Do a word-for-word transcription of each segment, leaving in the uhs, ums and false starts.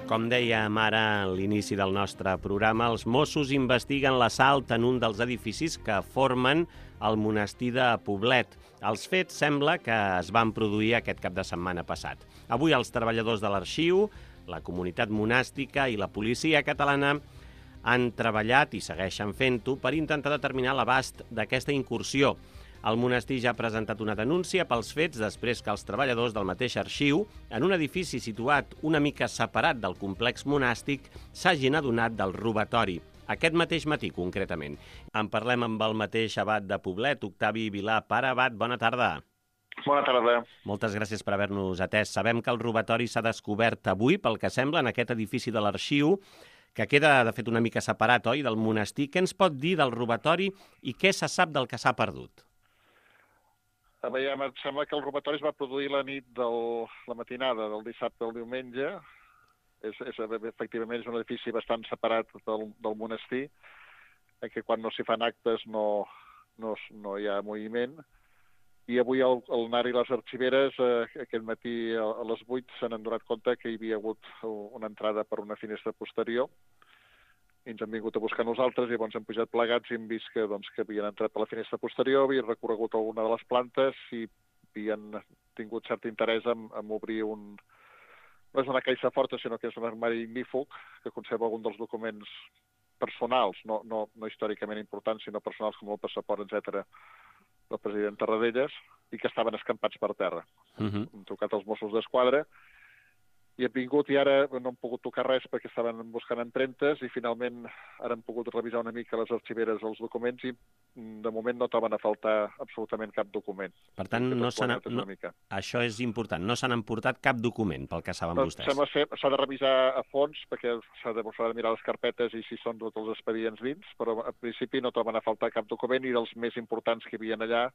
Com dèiem ara a l'inici del nostre programa, els Mossos investiguen l'assalt en un dels edificis que formen el monestir de Poblet. Els fets sembla que es van produir aquest cap de setmana passat. Avui els treballadors de l'arxiu, la comunitat monàstica i la policia catalana han treballat i segueixen fent-ho per intentar determinar l'abast d'aquesta incursió. El monestir ja ha presentat una denúncia pels fets després que els treballadors del mateix arxiu, en un edifici situat una mica separat del complex monàstic, s'hagin adonat del robatori. Aquest mateix matí, concretament. En parlem amb el mateix abat de Poblet, Octavi Vilà. Pare abat, bona tarda. Bona tarda. Moltes gràcies per haver-nos atès. Sabem que el robatori s'ha descobert avui, pel que sembla, en aquest edifici de l'arxiu, que queda, de fet, una mica separat, oi?, del monestir. Què ens pot dir del robatori i què se sap del que s'ha perdut? A veure, em sembla que el robatori es va produir la nit de la matinada del dissabte al diumenge. És, és, efectivament, és un edifici bastant separat del, del monestir, en què quan no s'hi fan actes no, no, no hi ha moviment. I avui el, el N A R i les arxiveres, eh, aquest matí a, a les vuit, se n'han donat compte que hi havia hagut una entrada per una finestra posterior. I ens han vingut a buscar nosaltres i llavors hem pujat plegats i hem vist que, doncs, que havien entrat per la finestra posterior, havien recorregut alguna de les plantes i havien tingut cert interès en, en obrir un... No és una caixa forta, sinó que és un armari ignífug que conserva algun dels documents personals, no, no, no històricament importants, sinó personals com el passaport, etcètera, del president Tarradellas, i que estaven escampats per terra. Uh-huh. Hem trucat als Mossos d'Esquadra i hem vingut i ara no hem pogut tocar res perquè estaven buscant empremtes i finalment ara hem pogut revisar una mica les arxiveres els documents i de moment no troben a faltar absolutament cap document. Per tant, no s'han... No, això és important, no s'han emportat cap document pel que saben no, vostès. Sembla ser, s'ha de revisar a fons perquè s'ha de, s'ha de mirar les carpetes i si són tots els expedients dins, però en principi no troben a faltar cap document i dels més importants que hi havia allà,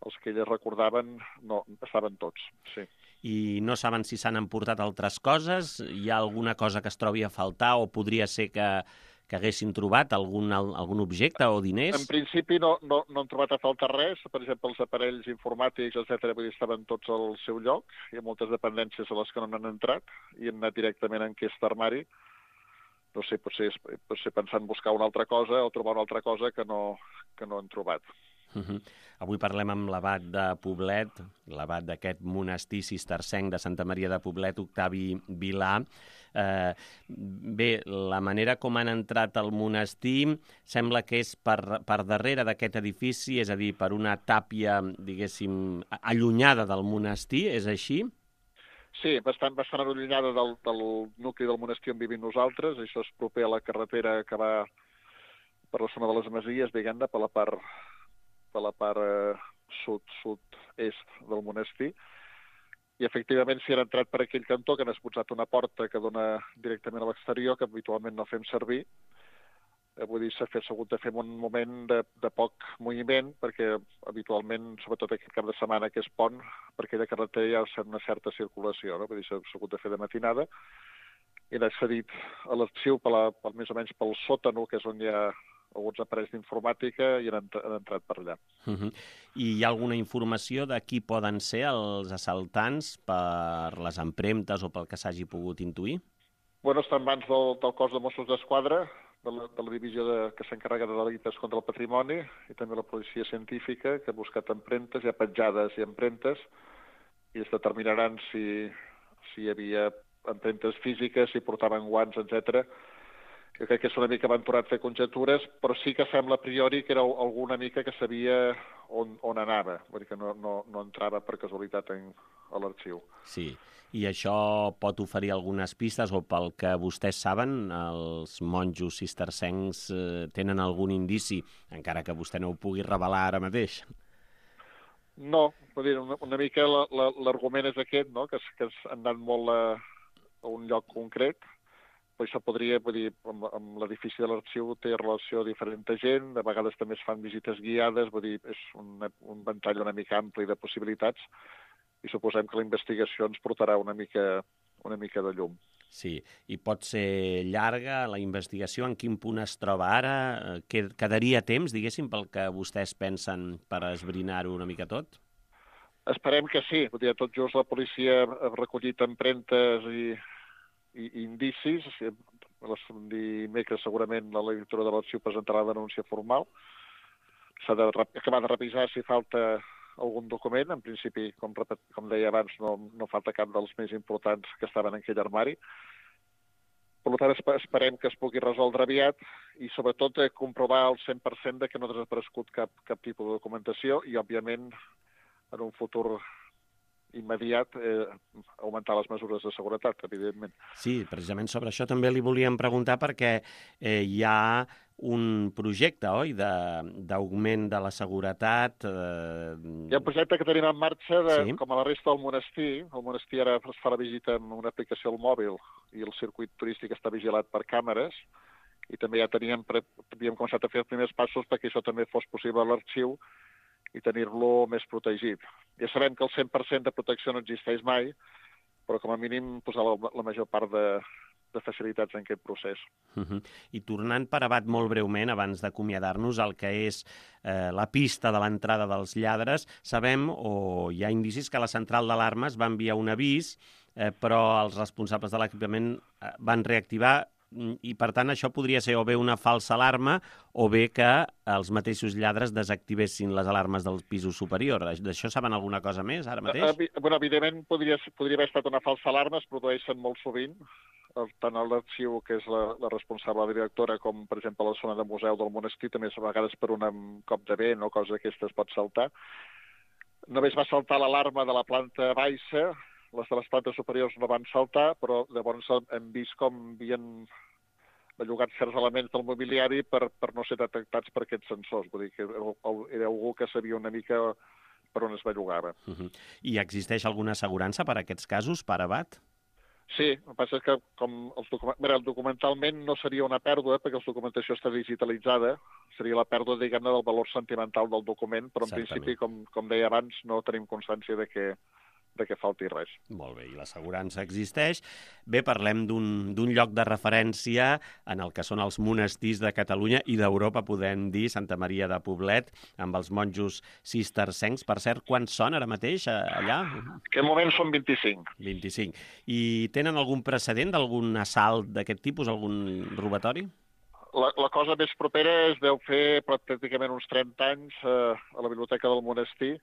els que elles recordaven, no, estaven tots, sí. I no saben si s'han emportat altres coses? Hi ha alguna cosa que es trobi a faltar o podria ser que, que haguessin trobat algun, algun objecte o diners? En principi no, no, no han trobat a faltar res. Per exemple, els aparells informàtics, etcètera, vull dir, estaven tots al seu lloc. Hi ha moltes dependències a les que no han entrat i han anat directament en aquest armari. No sé, potser, potser pensant buscar una altra cosa o trobar una altra cosa que no, que no han trobat. Uh-huh. Avui parlem amb l'abat de Poblet, l'abat d'aquest monestir cistercenc de Santa Maria de Poblet, Octavi Vilà. Eh, bé, la manera com han entrat al monestir sembla que és per, per darrere d'aquest edifici, és a dir, per una tàpia, diguéssim, allunyada del monestir, és així? Sí, bastant, bastant allunyada del, del nucli del monestir on vivim nosaltres. Això és proper a la carretera que va per la zona de les Masies, diguem-ne, per la part... de la part eh, sud-sud-est del monestir. I, efectivament, si han entrat per aquell cantó, que han expulsat una porta que dona directament a l'exterior, que habitualment no fem servir. Eh, vull dir, s'ha hagut de fer un moment de, de poc moviment, perquè habitualment, sobretot aquest cap de setmana que és pont, per aquella carretera hi ha una certa circulació, no? Vull dir, s'ha hagut de fer de matinada. I han accedit a l'arxiu per la, per, més o menys pel sòtano, que és on hi ha alguns aparells d'informàtica i han, han entrat per allà. Uh-huh. I hi ha alguna informació de qui poden ser els assaltants per les empremtes o pel que s'hagi pogut intuir? Bueno, està en mans del, del cos de Mossos d'Esquadra, de la, de la divisió de, que s'encarrega de delictes contra el patrimoni, i també la policia científica, que ha buscat empremtes, hi ha petjades i empremtes, i es determinaran si, si hi havia empremtes físiques, si portaven guants, etcètera. Jo crec que és una mica aventurat fer conjectures, però sí que sembla a priori que era alguna mica que sabia on, on anava, vull dir que no, no, no entrava per casualitat en, a l'arxiu. Sí, i això pot oferir algunes pistes, o pel que vostès saben, els monjos cistercencs eh, tenen algun indici, encara que vostè no ho pugui revelar ara mateix? No, vull dir, una, una mica l'argument és aquest, no?, que, que han anat molt a, a un lloc concret. Però això podria, vull dir, amb, amb l'edifici de l'arxiu té relació a diferent gent, de vegades també es fan visites guiades, vull dir, és un, un ventall una mica ampli de possibilitats i suposem que la investigació ens portarà una mica, una mica de llum. Sí, i pot ser llarga la investigació, en quin punt es troba ara? Quedaria temps, diguéssim, pel que vostès pensen per esbrinar-ho una mica tot? Esperem que sí, vull dir, tot just la policia ha recollit empremtes i indicis. Dimecres segurament la lectura de l'arxiu presentarà la denúncia formal. S'ha d'acabar de revisar si falta algun document. En principi, com, com deia abans, no, no falta cap dels més importants que estaven en aquell armari. Per tant, esperem que es pugui resoldre aviat i, sobretot, comprovar al cent per cent de que no ha desaparegut cap, cap tipus de documentació i, òbviament, en un futur immediat, eh, augmentar les mesures de seguretat, evidentment. Sí, precisament sobre això també li volíem preguntar perquè eh, hi ha un projecte, oi?, d'augment de, de la seguretat. Eh... Hi ha un projecte que tenim en marxa, de, sí. com a la resta del monestir. El monestir ara es fa la visita amb una aplicació al mòbil i el circuit turístic està vigilat per càmeres i també ja teníem, havíem començat a fer els primers passos perquè això també fos possible a l'arxiu i tenir-lo més protegit. Ja sabem que el cent per cent de protecció no existeix mai, però com a mínim posar la, la major part de, de facilitats en aquest procés. Uh-huh. I tornant per abat molt breument, abans d'acomiadar-nos, el que és eh, la pista de l'entrada dels lladres, sabem, o hi ha indicis, que la central d'alarmes va enviar un avís, eh, però els responsables de l'equipament eh, van reactivar i, per tant, això podria ser o bé una falsa alarma o bé que els mateixos lladres desactivessin les alarmes dels pisos superiors. D'això saben alguna cosa més ara mateix? Uh, bueno, evidentment, podria, podria haver estat una falsa alarma, es produeixen molt sovint, tant a l'arxiu, que és la, la responsable directora, com, per exemple, a la zona de museu del monestir, també a vegades per un cop de vent o cosa d'aquestes pot saltar. Només va saltar l'alarma de la planta baixa, les de les plantes superiors no van saltar, però llavors hem vist com havien bellugat certs elements del mobiliari per, per no ser detectats per aquests sensors. Vull dir que era algú que sabia una mica per on es bellugava. Uh-huh. I existeix alguna assegurança per a aquests casos, per abat? Sí, el que passa és que com els document... Mira, documentalment no seria una pèrdua perquè la documentació està digitalitzada, seria la pèrdua, diguem-ne, del valor sentimental del document, però en Certament. principi, com, com deia abans, no tenim constància de que de que falti res. Molt bé, i l'assegurança existeix. Bé, parlem d'un lloc de referència en el que són els monestirs de Catalunya i d'Europa, podem dir, Santa Maria de Poblet, amb els monjos cistercencs. Per cert, quants són ara mateix allà? En aquest moment són vint-i-cinc. vint-i-cinc. I tenen algun precedent d'algun assalt d'aquest tipus, algun robatori? La, la cosa més propera es deu fer pràcticament uns trenta anys eh, a la biblioteca del monestir,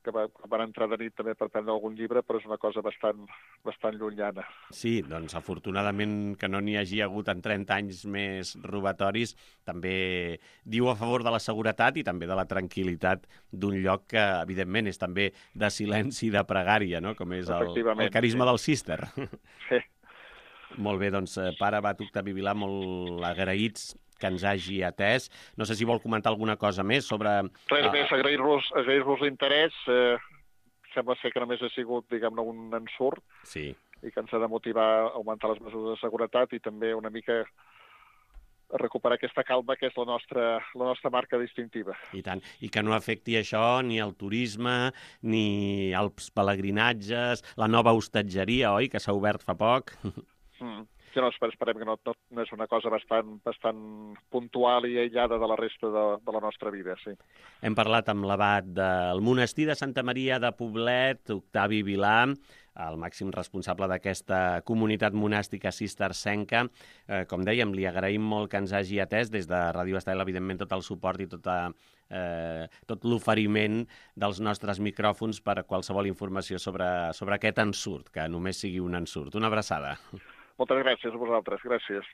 que van entrar de nit també per prendre algun llibre, però és una cosa bastant, bastant llunyana. Sí, doncs afortunadament que no n'hi hagi hagut en trenta anys més robatoris, també diu a favor de la seguretat i també de la tranquil·litat d'un lloc que, evidentment, és també de silenci i de pregària, no? Com és el, el carisma sí. del cister. Sí. Molt bé, doncs, pare Abat Octavi Vilà, molt agraïts que ens hagi atès. No sé si vol comentar alguna cosa més sobre... Res més, agrair-vos agrair l'interès. Eh, sembla ser que només ha sigut, diguem-ne, un ensurt sí. i que ens ha de motivar a augmentar les mesures de seguretat i també una mica a recuperar aquesta calma que és la nostra, la nostra marca distintiva. I tant. I que no afecti això ni el turisme, ni els pelegrinatges, la nova hostatgeria, oi?, que s'ha obert fa poc. Mm. Sí, no, esperem que no, no, no és una cosa bastant, bastant puntual i aïllada de la resta de, de la nostra vida, sí. Hem parlat amb l'abat del monestir de Santa Maria de Poblet, Octavi Vilà, el màxim responsable d'aquesta comunitat monàstica cistercenca. Eh, com dèiem, li agraïm molt que ens hagi atès des de Ràdio Estel, evidentment, tot el suport i tota, eh, tot l'oferiment dels nostres micròfons per a qualsevol informació sobre, sobre aquest ensurt, que només sigui un ensurt. Una abraçada. Moltes gràcies a vosaltres. Gràcies.